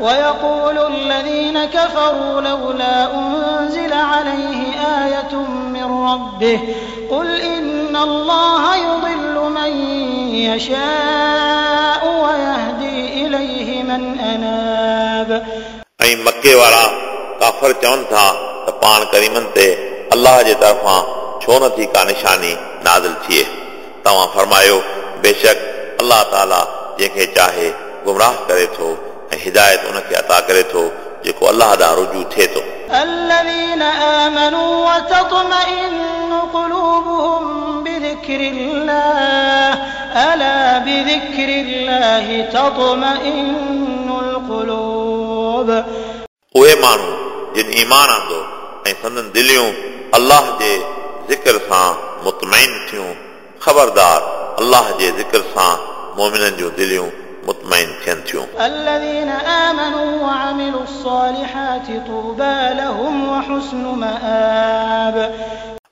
ويقول الذين كفروا لولا أنزل عليه آية من ربه قل إن الله يضل من يشاء ويهدي إليه من أناب. ऐं मक्के वारा काफ़र चवनि था त पाण करीमनि ते अल्लाह जे तरफ़ां छो नथी का निशानी नाज़िल थिए। तव्हां फ़रमायो, बेशक अल्लाह ताला जंहिंखे चाहे गुमराह करे थो ऐं हिदायत उनखे अता करे थो जेको अल्लाह ॾांहुं रुजू थिए थो। الذين آمنوا وتطمئن قلوبهم بذكر الله ألا بذكر الله تطمئن القلوب. उहे माण्हू जिन ईमान आंदो ऐं संदन दिलियूं अल्लाह जे ज़िक्र सां मुतमैन थियूं, ख़बरदार अल्लाह जे ज़िक्र सां मोमिननि जूं दिलियूं मुतमैन थियनि थियूं। الذين آمنوا وعملوا الصالحات طوبى لهم وحسن مآب.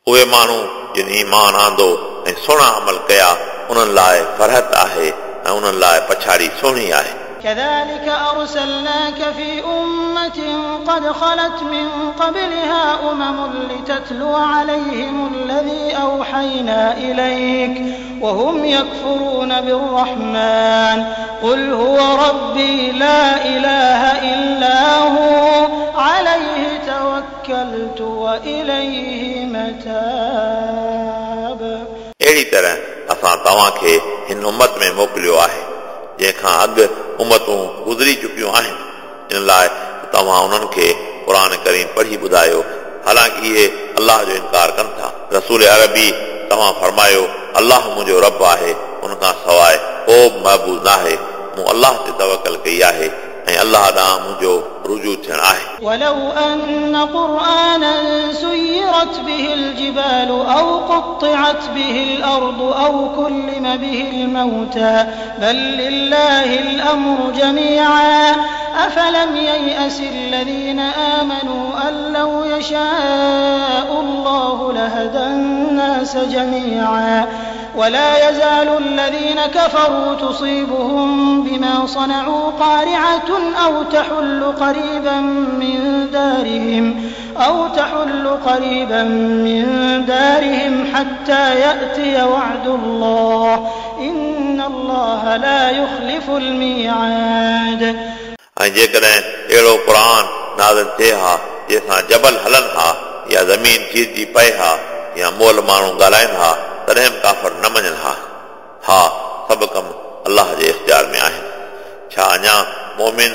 उहे माण्हू जिन ईमान आंदो ऐं सुहिणा अमल कया, उन्हनि लाइ फरहत आहे ऐं उन्हनि लाइ पछाड़ी सुहिणी आहे। كذلك أرسلناك في أمة قد خلت من قبلها أمم لتتلو عليهم الذي أوحينا إليك وهم يكفرون بالرحمن قل هو ربي لا إله إلا هو عليه توكلت وإليه متاب. अहिड़ी तरह असां तव्हांखे हिन उम्मत में मोकिलियो आहे जंहिंखां अॻु उम्मतूं गुज़री चुकियूं आहिनि, इन लाइ तव्हां उन्हनि खे क़ुर करीम पढ़ी ॿुधायो, हालांकि इहे अल्लाह जो इनकार कनि था। रसूल अरबी तव्हां फ़रमायो, अल्लाह मुंहिंजो रब आहे, उन खां सवाइ को बि महबूद न आहे। मूं अल्लाह ते तवकल कई आहे ऐं अल्लाह ॾांहुं मुंहिंजो रुजू थियणु आहे। ولو أن قرآنا سيرت به الجبال أو قطعت به الأرض أو كلم به الموتى بل لله الأمر جميعا أفلم ييأس الذين آمنوا أن لو يشاء الله لهدى الناس جميعا ولا يزال الذين كفروا تصيبهم بما صنعوا قارعة أو تحل قريبا من دارهم حتى يأتي وعد الله إن الله لا يخلف الميعاد. ऐं जेकॾहिं अहिड़ो क़ुर नाज़िल थिए हा जंहिंसां जबल हलनि हा या ज़मीन चीरजी पए हा या मोल माण्हू ॻाल्हाइनि हा, तॾहिं बि काफ़र न मञनि हा। हा, सभु कमु अल्लाह जे इख़्तियार में आहिनि। छा अञा मोमिन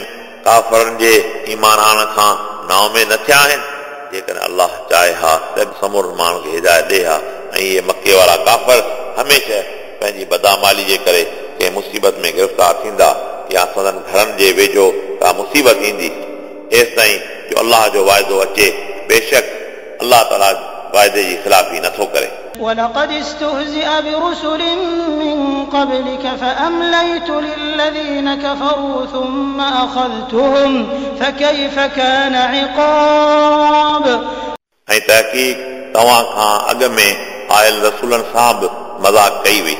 काफ़रनि जे ईमान आणण खां नाउमेद न थिया आहिनि? जेकॾहिं अल्लाह चाहे हा त समूरनि माण्हुनि खे हिदायत ॾिए हा। ऐं इहे मक्के वारा काफ़र हमेशह पंहिंजी बदामाली जे करे कंहिं मुसीबत में गिरफ़्तार थींदा या संदन घरनि जे वेझो का मुसीबत ईंदी, एसि ताईं जो अल्लाह जो वाइदो अचे। बेशक अल्लाह ताला वाइदे जी ख़िलाफ़ी नथो करे। ولقد استهزئ برسل من قبلك فأمليت للذين كفروا ثم أخذتهم فكيف كان عقاب. ऐं तहक़ीक़ तव्हां खां अॻु में आयल रसूलनि सां बि मज़ाक कई वई,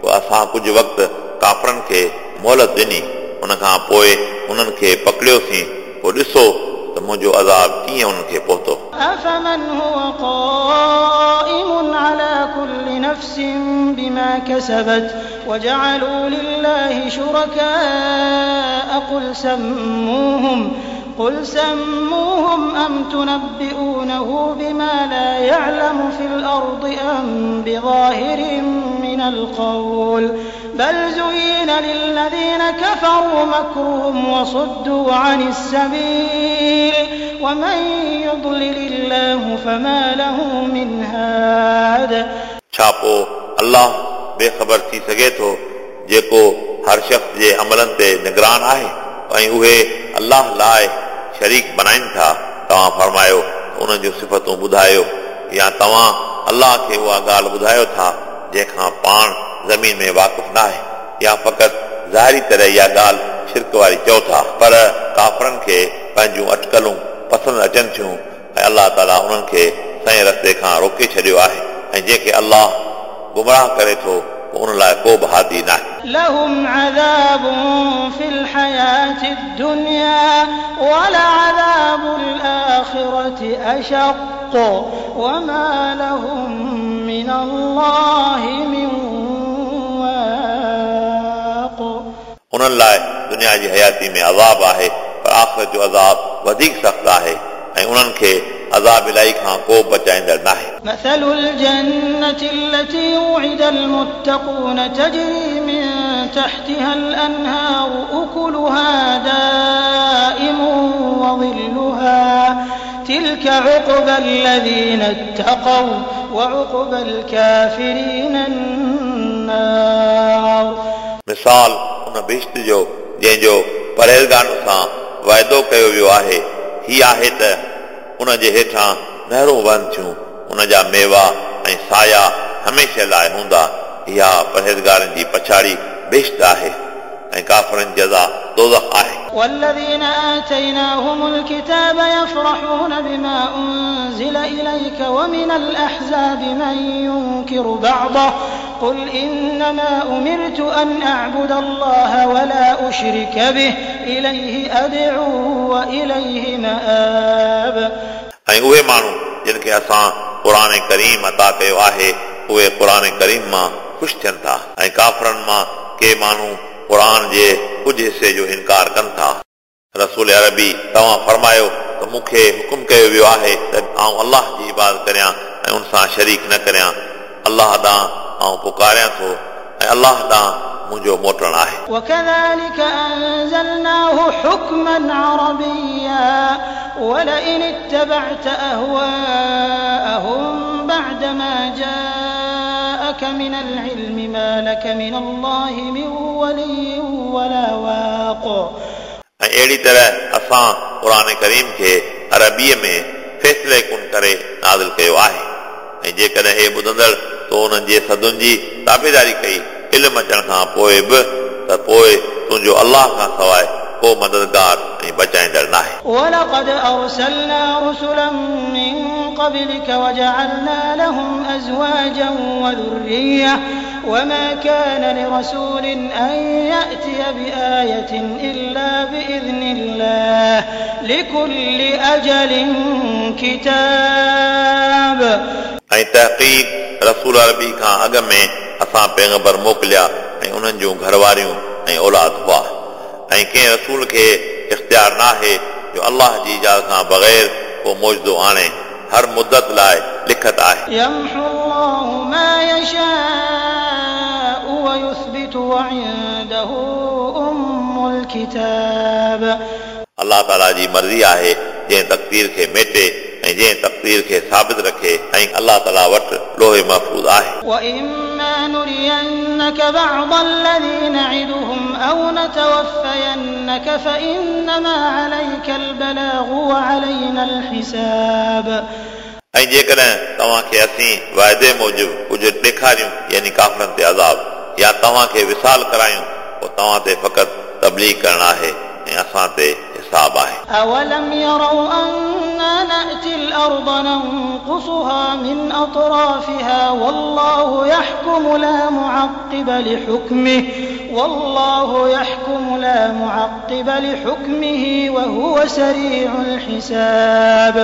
पोइ असां कुझु वक़्तु काफ़रनि खे मोहलत ॾिनी, उन खां पोइ उन्हनि खे पकड़ियोसीं, पोइ ॾिसो त मुंहिंजो अज़ाब कीअं उन्हनि खे पहुतो। أفمن هو قائم على كل نفس بما كسبت وجعلوا لله شركاء قل سموهم أم تنبئونه بما لا يعلم في الأرض أم بظاهر من القول بل زين للذين كفروا مكرهم وصدوا عن السبيل ومن يضلل الله فما له من هاد. छा पोइ अल्लाह बेख़बर थी सघे थो जेको हर शख़्स जे अमलनि ते निगरान आहे ऐं उहे अल्लाह लाइ शरीक बनाइनि था? तव्हां फ़रमायो, उन्हनि जूं सिफ़तूं ॿुधायो, या तव्हां अल्लाह खे उहा ॻाल्हि ॿुधायो था जंहिंखां पाण ज़मीन में वाक़िफ़ न आहे, या फ़क़ति ज़ाहिरी तरह इहा ॻाल्हि शिरक वारी चओ था? पर काफ़रनि खे पंहिंजूं अटकलूं पसंदि अचनि थियूं ऐं अल्लाह ताला उन्हनि खे सही रस्ते खां रोके छॾियो आहे, ऐं जंहिंखे अल्लाह गुमराह करे थो पोइ उन लाइ को बि हादी न आहे। لهم عذاب في الحياة الدنيا ولعذاب الآخرة أشق وما لهم من الله من واق. उन्हनि लाइ दुनिया जी हयाती में अज़ाब आहे, पर आख़िरत जो अज़ाब वधीक सख़्तु आहे ऐं उन्हनि खे अज़ाब इलाही खां को बचाईंदड़ नाहे। مثل الجنة التي وعد المتقون تجري من تحتها الأنهار أكلها دائم وظلها تلك عقبى الذين اتقوا وعقبى الكافرين النار. मिसाल उन बहिश्त जो जंहिंजो परहेज़गारनि सां वाइदो कयो वियो आहे, ही आहे त उन जे हेठां नहरूं वहनि थियूं, उन जा मेवा ऐं साया हमेशह लाइ हूंदा। इहा परहेज़गारनि जी पछाड़ी बहिश्त आहे ऐं काफ़रनि जी जज़ा दोज़ख आहे। والذين آتيناهم الكتاب يفرحون بما أنزل إليك ومن الأحزاب من ينكر بعضه قل إنما أمرت أن أعبد الله ولا أشرك به إليه أدعو وإليه مآب. ऐं उहे माण्हू जिन खे असां क़ुर करीम अता कयो आहे, उहे क़ुर करीम मां ख़ुशि थियनि था ऐं काफ़रनि मां के माण्हू क़ुर जे कुझु हिसे जो इनकार कनि था। रसूल अरबी तव्हां फरमायो त मूंखे हुकुम कयो वियो आहे त आउं अल्लाह जी इबादत करियां ऐं उन सां शरीक न करियां। अल्लाह ॾांहुं आउं पुकारियां थो ऐं अल्लाह ॾांहुं मुंहिंजो मोटणु आहे। وكذلك أنزلناه حكما عربيا ولئن اتبعت أهواءهم بعدما جاءك من العلم ما لك من الله من ولي ولا واق. ऐं अहिड़ी तरह असां क़ुर करीम खे अरबीअ में फ़ैसिले कुन करे नाज़िल कयो आहे ऐं जेकॾहिं हे ॿुधंदड़ तो उन्हनि जे सदुनि जी ताबेदारी कई इल्मु अचण खां पोइ बि, त पोइ तुंहिंजो अल्लाह खां सवाइ को मददगार ऐं बचाईंदड़ नाहे। ولقد أرسلنا رسلا من قبلك وجعلنا لهم أزواجا وذرية وما كان لرسول أن يأتي بآية إلا بإذن الله لكل أجل كتاب. ऐं तहक़ीक़ रसूल अरबी खां अॻु में असां पैगंबर मोकिलिया ऐं उन्हनि जूं घरवारियूं ऐं औलाद हुआ ऐं कंहिं रसूल खे इख़्तियार नाहे जो अल्लाह जी इजाज़त खां बग़ैर को मौजूदो आणे, हर मुदत लाइ लिखत आहे। يمحو الله ما يشاء ويثبت وعنده أم الكتاب. अल्लाह ताला जी मर्ज़ी आहे जंहिं तक़दीर खे मेटे ऐं जंहिं तक़दीर खे साबित रखे ऐं अल्लाह ताला वटि लोहे महफ़ूज़ आहे। وإما نرينك بعض الذي نعدهم أو نتوفينك فإنما عليك البلاغ وعلينا الحساب. ऐं जेकॾहिं तव्हांखे असीं वाइदे मूजिबि कुझु ॾेखारियूं यानी काफ़रनि ते अज़ाब या तव्हांखे विसाल करायूं, पोइ तव्हां ते फ़क़ति तबलीग करणु आहे ऐं असां ते हिसाब आहे। أولم يروا أنا نأتي الأرض ننقصها من أطرافها والله يحكم لا معقب لحكمه والله يحكم لا معقب لحكمه وهو سريع الحساب.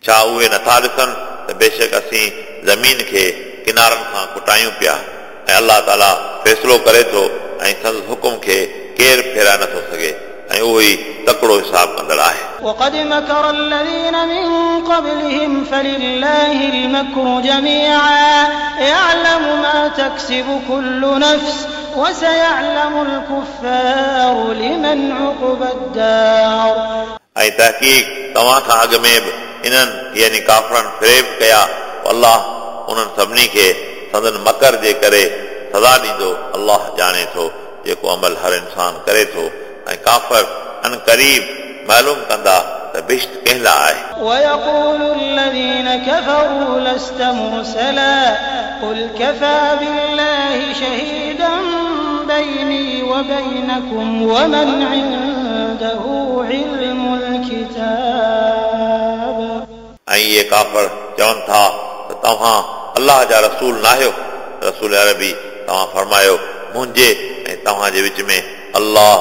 छा उहे नथा ॾिसनि त बेशक असीं ज़मीन खे किनारनि खां कुटायूं पिया ऐं अल्लाह ताला फ़ैसिलो करे थो ऐं संदसि हुकुम खे केरु फेराए नथो सघे ऐं उहो ई तकड़ो हिसाब कंदड़ आहे। وقد مكر الذين من قبلهم فلله المكر جميعا يعلم ما تكسب كل نفس وسيعلم الكفار لمن عقبى الدار. ऐं तहक़ीक़ तव्हां खां अॻु में बि इन्हनि यानी काफ़रनि फ़रेब कया, अल्लाह उन्हनि सभिनी खे संदन मकर जे करे सज़ा ॾींदो। अल्लाह ॼाणे थो जेको अमल हर इंसान करे थो ऐं काफ़र अन क़रीब मालूम कंदा त बहिश्त कंहिं लाइ आहे। ويقول الذين كفروا لست مرسلا قل كفى بالله شهيدا بيني وبينكم ومن عنده علم الكتاب. ऐं इहे काफ़र चवनि था त तव्हां अल्लाह जा रसूल नाहियो। रसूल अरबी तव्हां फरमायो मुंहिंजे ऐं ऐं तव्हांजे विच में अल्लाह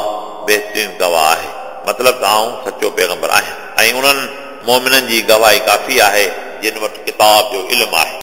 बहितरीन गवाह आहे। मतिलबु त आउं सचो पैगंबर आहियां ऐं उन्हनि मोमिननि जी गवाही काफ़ी आहे जिन वटि किताब जो इल्मु आहे।